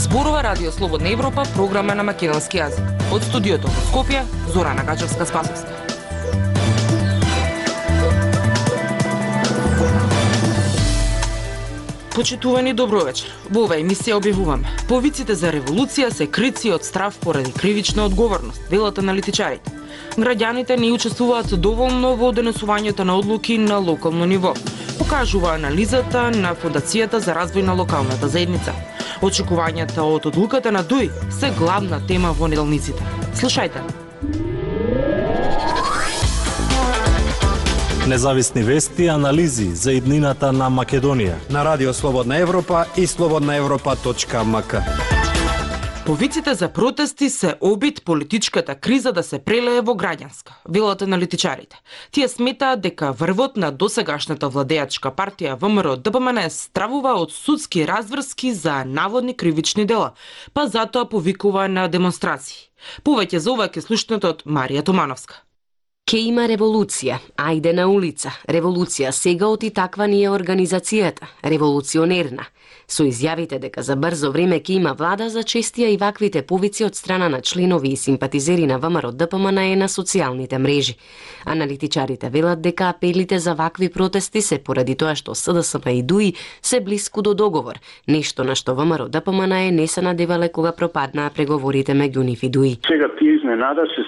Зборува Радио Слободна Европа, програма на македонски јазик. Од студиото во Скопје, Зорана Гачевска-Спасовска. Почитувани, добро вечер. Во оваа емисија објавуваме: повиците за револуција се крици од страв поради кривична одговорност, велат аналитичарите. Граѓаните не учествуваат доволно во донесувањето на одлуки на локално ниво, покажува анализата на Фондацијата за развој на локалната заедница. Очекувањата од одлуката на ДУИ се главна тема во неделниците. Слушајте. Независни вести и анализи за иднината на Македонија на Радио Слободна Европа и slobodnaevropa.mk. Повиците за протести се обид политичката криза да се прелее во граѓанска, велат аналитичарите. Тие сметаат дека врвот на досегашната владеачка партија ВМРО-ДПМН стравува од судски разврски за наводни кривични дела, па затоа повикува на демонстрации. Повеќе за ова ќе слушнете од Марија Томановска. Ке има револуција, ајде на улица. Револуција сега оти таква ни е организацијата, револуционерна. Со изјавите дека за брзо време ке има влада, зачестија и ваквите повици од страна на членови и симпатизери на ВМРО-ДПМН на социјалните мрежи. Аналитичарите велат дека апелите за вакви протести се поради тоа што СДСМ и ДУИ се блиску до договор, нешто на што ВМРО-ДПМН не се надевале кога пропаднаа преговорите меѓу нив и ДУИ. Сега тие изненада се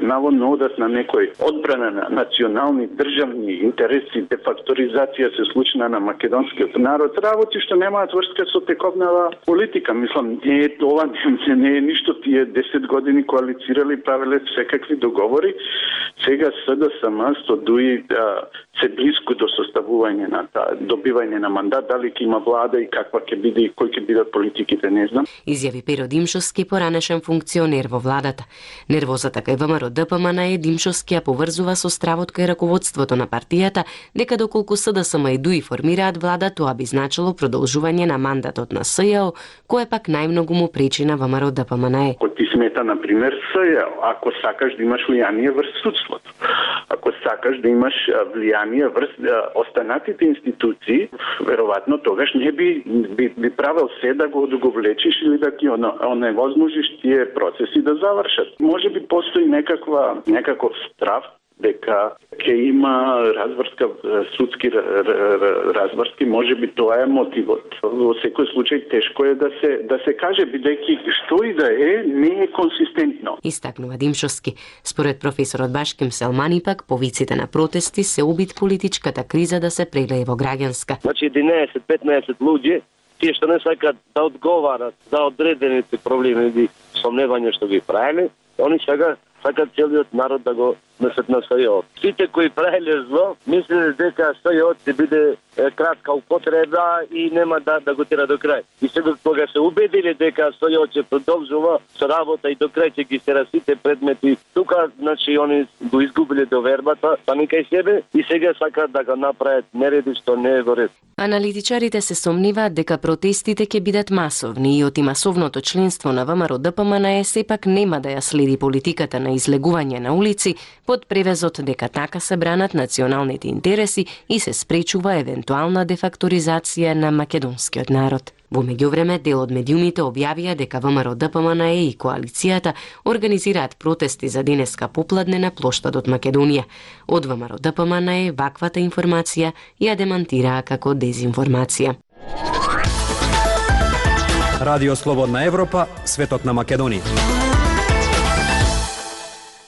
наводно одат на некој одбрана на национални државни интереси, дефакторизација се случна на македонскиот народ, работи што немаат врска со тековнава политика. Мислам, ова не е ништо. Тие 10 години коалицирали, правеле секакви договори. Сега СДСМ со ДУИ се блиску до составување на добивање на мандат, дали ќе има влада и каква ќе биде и кои ќе бидат политиките, не знам. Изјави Перо Димшовски, поранешен функционер во владата. Нервозата кај ВМРО-ДПМН е Димшовски ја поврзува со стравот кај раководството на партијата, дека доколку СДСМ и ДУИ формираат влада, тоа би значило продолжување на мандатот на СЈО, кое пак најмногу му пречи на ВМРО-ДПМН. Ако ти смета, например, СЈО, ако сакаш да имаш влијание врз судството, ако сакаш да имаш влијание врз останатите институции, веројатно тогаш не би правил се да го влечиш или да ти оневозможиш тие процеси да завршат. Може би постои некаков страв дека ќе има разврска, судски разврски, може би тоа е мотивот. Во секој случај тешко е да се каже, бидејќи што и да е, не е консистентно. Истакнува Димшовски. Според професорот Башким Селмани пак, повиците на протести се обид политичката криза да се прелее во граѓанска. Значи 11-15 луѓе, тие што не сакат да одговарат за одредените проблеми и сомневања што ги правеле, они сега сакат целиот народ да го несат на СЈО. Сите кои правеле зло, мислеле дека СЈО ќе биде кратка употреба и нема да го тера до крај. И сега кога се убедиле дека СЈО ќе продолжува со работа и до крај ќе ги тера сите предмети, тука значи они го изгубиле довербата сами кај себе и сега сакаат да го направат нереди што не е во ред. Аналитичарите се сомниваат дека протестите ќе бидат масовни и оти масовното членство на ВМРО-ДПМН сепак нема да ја следи политиката на излегување на улици под превезот дека така се бранат националните интереси и се спречува евентуална дефакторизација на македонскиот народ. Во меѓувреме, дел од медиумите објавија дека ВМРО-ДПМН и коалицијата организираат протести за денеска попладне на плоштадот Македонија. Од ВМРО-ДПМН ваквата информација ја демантираа како дезинформација. Радио Слободна Европа, светот на Македонија.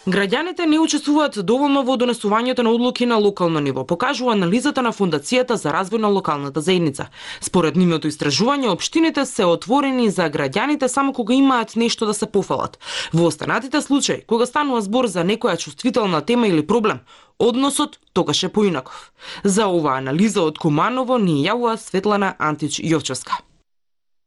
Граѓаните не учествуваат доволно во донесувањето на одлуки на локално ниво, покажува анализата на Фондацијата за развој на локалната заедница. Според нивното истражување, општините се отворени за граѓаните само кога имаат нешто да се пофалат. Во останатите случаи, кога станува збор за некоја чувствителна тема или проблем, односот тогаш е поинаков. За оваа анализа од Куманово ни јавува Светлана Антич-Јовчевска.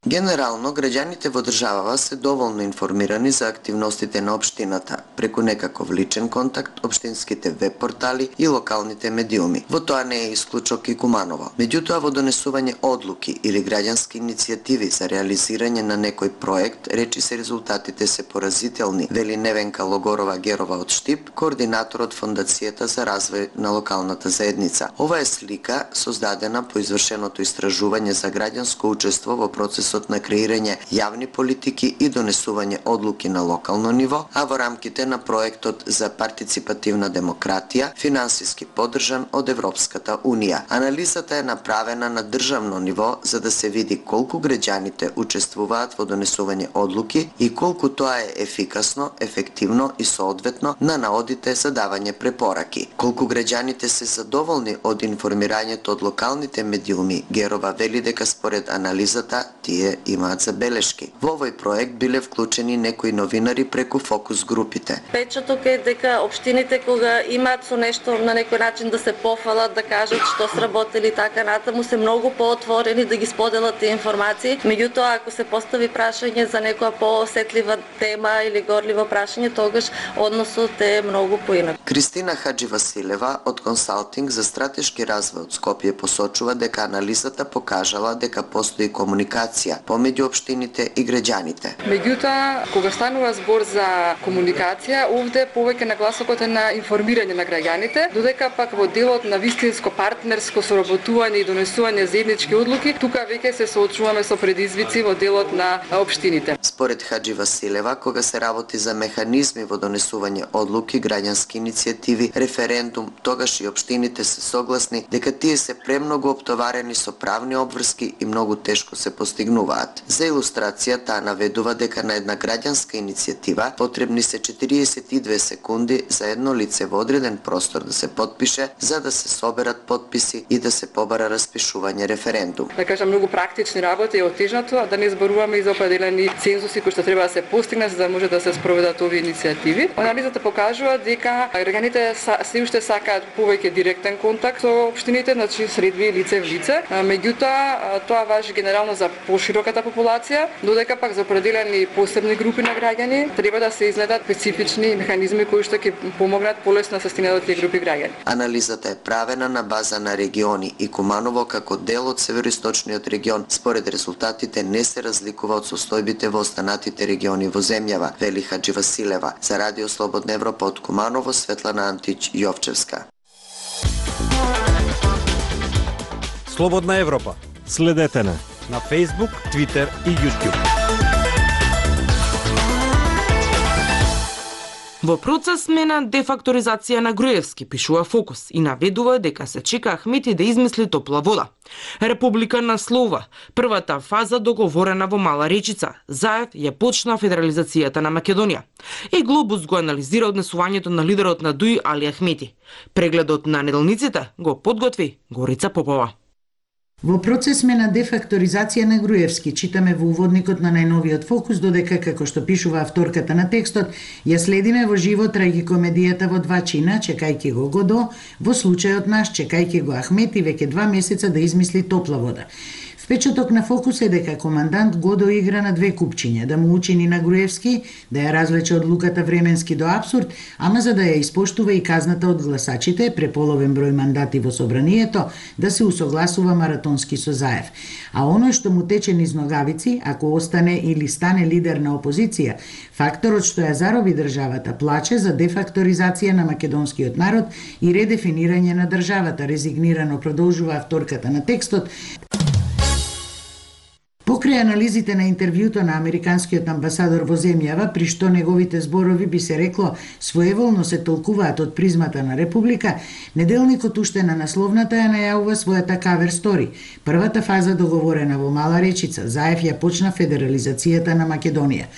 Генерално, граѓаните во државава се доволно информирани за активностите на општината, преку некаков личен контакт, општинските веб портали и локалните медиуми. Во тоа не е исклучок и Куманово. Меѓутоа, во донесување одлуки или граѓански иницијативи за реализирање на некој проект, речи се резултатите се поразителни, вели Невенка Логорова-Герова од Штип, координатор од Фондацијата за развој на локалната заедница. Ова е слика создадена по извршеното истражување за граѓанско учество во процесот начинот на креирање јавни политики и донесување одлуки на локално ниво, а во рамките на проектот за партиципативна демократија, финансиски поддржан од Европската Унија. Анализата е направена на државно ниво за да се види колку граѓаните учествуваат во донесување одлуки и колку тоа е ефикасно, ефективно и соодветно на наодите за давање препораки. Колку граѓаните се задоволни од информирањето од локалните медиуми, Герова вели дека според анализата тие имаат забелешки. Во овој проект биле вклучени некои новинари преку фокус групите. Печаток е дека општините кога имаат со нешто на некој начин да се пофалат, да кажат што сработили така натаму, се многу поотворени да ги споделат тие информации. Меѓутоа, ако се постави прашање за некоја поосетлива тема или горливо прашање, тогаш односот е многу поинак. Кристина Хадживасилева од Консалтинг за стратешки развој од Скопје посочува дека анализата покажала дека постои комуникација помеѓу општините и граѓаните. Меѓутоа, кога станува збор за комуникација, овде повеќе нагласокот е на информирање на граѓаните, додека пак во делот на вистинско партнерско соработување и донесување заеднички одлуки, тука веќе се соочуваме со предизвици во делот на општините. Според Хадживасилева, кога се работи за механизми во донесување одлуки, граѓански иницијативи, референдум, тогаш и општините се согласни дека тие се премногу оптоварени со правни обврски и многу тешко се постигнуваат. За илустрација, таа наведува дека на една граѓанска иницијатива потребни се 42 секунди за едно лице во одреден простор да се потпише, за да се соберат потписи и да се побара распишување референдум. Да кажам, многу практични работи е отежнато, а да не зборуваме и за определени цензуси кои што треба да се постигнат за да може да се спроведат овие иницијативи. Анализата покажува дека граѓаните се уште сакаат повеќе директен контакт со општините, значи средби лице в лице. Меѓутоа, тоа важи генерално за пошироката популација, додека пак за определени посебни групи на граѓани треба да се изнајдат специфични механизми кои што ќе помогнат полесно да се стигне до тие групи граѓани. Анализата е правена на база на региони и Куманово како дел од североисточниот регион, според резултатите не се разликува од состојбите во останатите региони во земјава, вели Хадживасилева. За Радио Слободна Европа од Куманово, Светлана Антич Јовчевска. Слободна Европа. Следете на Facebook, Twitter и YouTube. Во процес сме на дефакторизација на Груевски, пишува Фокус, и наведува дека се чека Ахмети да измисли топла вода. Република наслова првата фаза договорена во Мала Речица. Заев ја почна федерализацијата на Македонија. И Глобус го анализира однесувањето на лидерот на ДУИ Али Ахмети. Прегледот на неделниците го подготви Горица Попова. Во процес сме на дефакторизација на Груевски, читаме во уводникот на најновиот Фокус, додека, како што пишува авторката на текстот, ја следиме во живо трагикомедијата во два чина, чекајќи го Годо, во случајот наш, чекајќи го Ахмети веќе 2 месеца да измисли топла вода. Впечаток на Фокус е дека командант Годо игра на две купчиња, да му учини на Груевски, да ја развлече одлуката временски до абсурд, ама за да ја испоштува и казната од гласачите, преполовен број мандати во собранието, да се усогласува маратонски со Заев. А оној што му тече низ ногавици, ако остане или стане лидер на опозиција, факторот што ја зароби државата плаче за дефакторизација на македонскиот народ и редефинирање на државата, резигнирано продолжува авторката на текстот. Покрај анализите на интервјуто на американскиот амбасадор во земјава, при што неговите зборови би се рекло своеволно се толкуваат од призмата на Република, неделникот уште на насловната ја најавува својата кавер стори. Првата фаза договорена во Мала Речица, Заев ја почна федерализацијата на Македонија.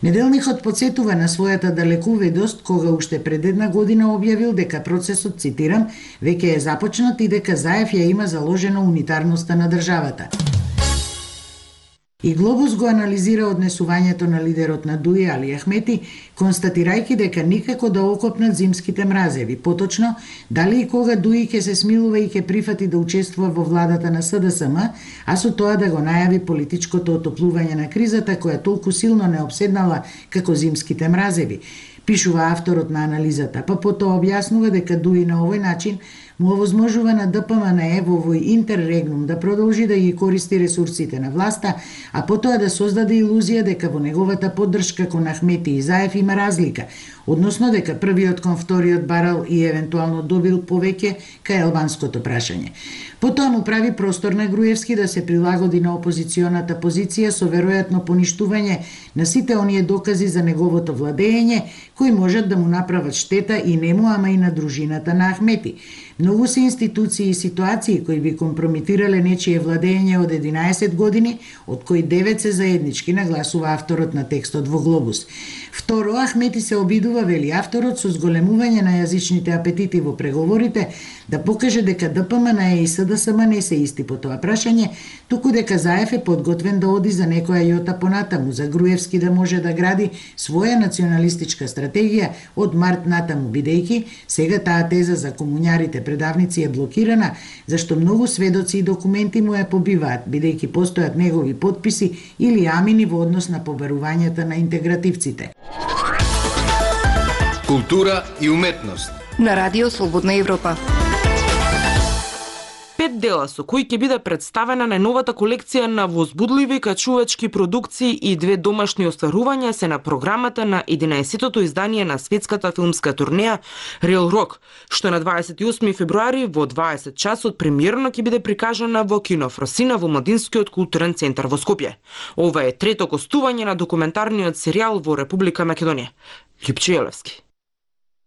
Неделникот подсетува на својата далекуведост кога уште пред една година објавил дека процесот, цитирам, веќе е започнат и дека Заев ја има заложено унитарноста на државата. И Глобус го анализира однесувањето на лидерот на ДУИ Али Ахмети, констатирајќи дека никако да окопнат зимските мразеви. Поточно, дали и кога ДУИ ќе се смилува и ќе прифати да учествува во владата на СДСМ, а со тоа да го најави политичкото отоплување на кризата која толку силно не обседнала како зимските мразеви. Пишува авторот на анализата, па потоа објаснува дека ДУИ на овој начин му овозможува на ДПМНЕ во овој интеррегнум да продолжи да ги користи ресурсите на власта, а потоа да создаде илузија дека во неговата поддршка кон Ахмети и Заев има разлика, односно дека првиот кон вториот барал и евентуално добил повеќе кај албанското прашање. Потоа му прави простор на Груевски да се прилагоди на опозиционата позиција со веројатно поништување на сите оние докази за неговото владење кои можат да му направат штета и нему, ама и на дружината на Ахмети. Многу се институции и ситуации кои би компрометирале нечие владење од 11 години, од кои 9 се заеднички, нагласува авторот на текстот во Глобус. Второ, Ахмети се обидува, вели авторот, со зголемување на јазичните апетити во преговорите, да покаже дека ДПМНЕ и СДСМ не се исти по тоа прашање, туку дека Заев е подготвен да оди за некоја јота понатаму, за Груевски да може да гради своја националистичка стратегија од март натаму, бидејќи сега таа теза за комуњарите предавници е блокирана, зашто многу сведоци и документи му ја побиваат, бидејќи постојат негови подписи или амини во однос на побарувањата на интегративците. Култура и уметност на Радио Слободна Европа. 5 дела со кои ќе биде представена најновата колекција на возбудливи качувачки продукции и 2 домашни остварувања се на програмата на 11-тото издание на светската филмска турнеја Real Rock, што на 28 февруари во 20 часот премиерно ќе биде прикажана во Кино Фросина во Младинскиот културен центар во Скопје. Ова е трето гостување на документарниот серијал во Република Македонија. Липче Елевски.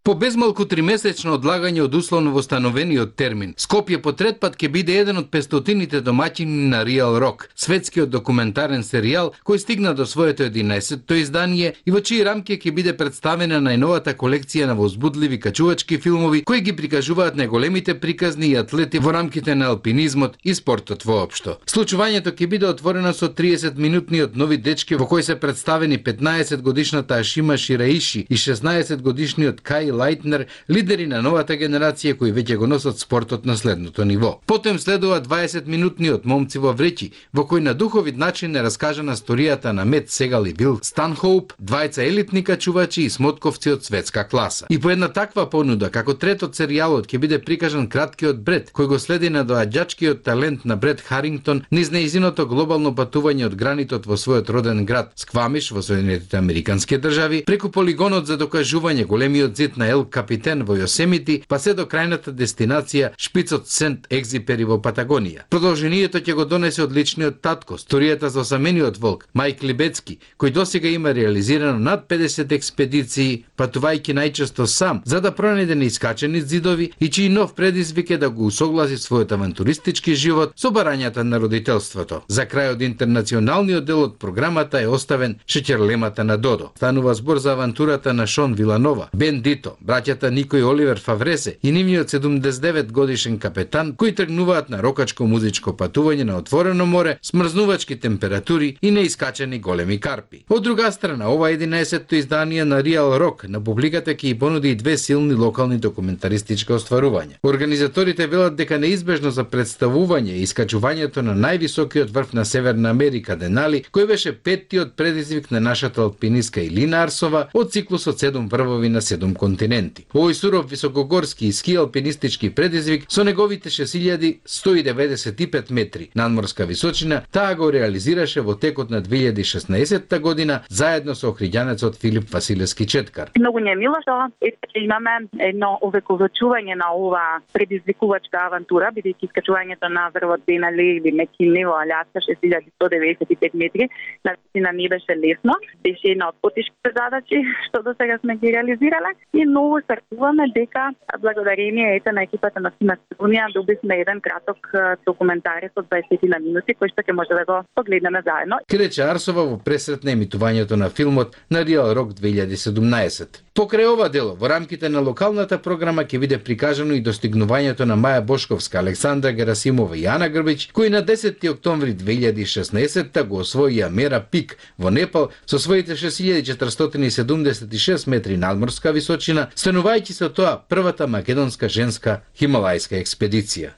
По безмалку 3-месечно одлагање од условно востановениот термин, Скопје по трет пат ќе биде еден од 500-тините домаќини на Real Rock, светскиот документарен серијал кој стигна до своето 11-то издание и во чии рамки ќе биде представена најновата колекција на возбудливи качувачки филмови кои ги прикажуваат најголемите приказни и атлети во рамките на алпинизмот и спортот воопшто. Случувањето ќе биде отворено со 30-минутниот Нови дечки во кој се представени 15-годишната Ашима Шираиши и 16-годишниот Кај Лајтнер, лидери на новата генерација кои веќе го носат спортот на следното ниво. Потем следува 20-минутниот Момци во вреќи, во кој на духовит начин е раскажана сторијата на Мет Сегал и Бил Станхоуп, двајца елитни качувачи и смотковци од светска класа. И по една таква понуда, како трет од серијалот ќе биде прикажан краткиот Бред, кој го следи на доаѓачкиот талент на Бред Харингтон низ нејзиното глобално патување од гранитот во својот роден град Сквамиш во Соединетите Американски држави, преку полигонот за докажување големиот зид на Ел Капитен во Јосемити, па се до крајната дестинација Шпицот Сент Екзипери во Патагонија. Продолжението ќе го донесе од личниот татко, сторијата за осамениот волк Мајк Либецки, кој досега има реализирано над 50 експедиции, патувајќи најчесто сам, за да пронајде неискачени зидови и чиј нов предизвик е да го усогласи својот авантуристички живот со барањата на родителството. За крај од интернационалниот дел од програмата е оставен Шеќерлемата на Додо. Станува збор за авантурата на Шон Виланова, Бен Дито, браќата Нико и Оливер Фавресе и нивниот 79 годишен капетан кои тргнуваат на рокачко музичко патување на отворено море, смрзнувачки температури и неискачени големи карпи. Од друга страна, ова 11-то издание на Real Rock на публиката ќе и понуди и 2 силни локални документаристички остварувања. Организаторите велат дека неизбежно за представување и искачувањето на највисокиот врв на Северна Америка Денали, кој беше 5-тиот предизвик на нашата алпинистка Илина Арсова од циклусот 7 врвови на 7 континенти. Овој суров високогорски и ски алпинистички предизвик со неговите 6195 метри надморска височина, таа го реализираше во текот на 2016 година заедно со охриѓанецот Филип Василевски Четкар. Многу не е мило што имаме едно увековечување на ова предизвикувачка авантура, бидејќи искачувањето на врвот Денали или Мекини во Аляска 6195 метри, навистина не беше лесно, беше една од потешките задачи што до сега сме ги реализирале и многу сакуваме дека благодарение на екипата на Македонија добивме еден краток документарец од 20 минути кој што ќе може да го погледнеме заедно. Рече Арсова во пресрет на емитувањето на филмот на Real Rock 2017. Покрај ова дело, во рамките на локалната програма ќе биде прикажано и достигнувањето на Маја Бошковска, Александра Герасимова и Ана Грбич, кои на 10 октомври 2016 го освоија мера Пик во Непал со своите 6476 метри надморска височина, станувајќи со тоа првата македонска женска хималајска експедиција.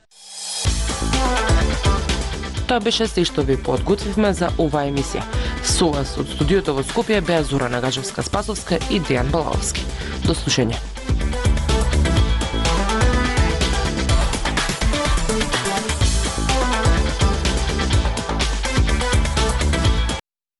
Тоа беше се што ви подготвивме за оваа емисија. Со вас од студиото во Скопје беа Зора Нагажевска-Спасовска и Дејан Балаовски. До слушање.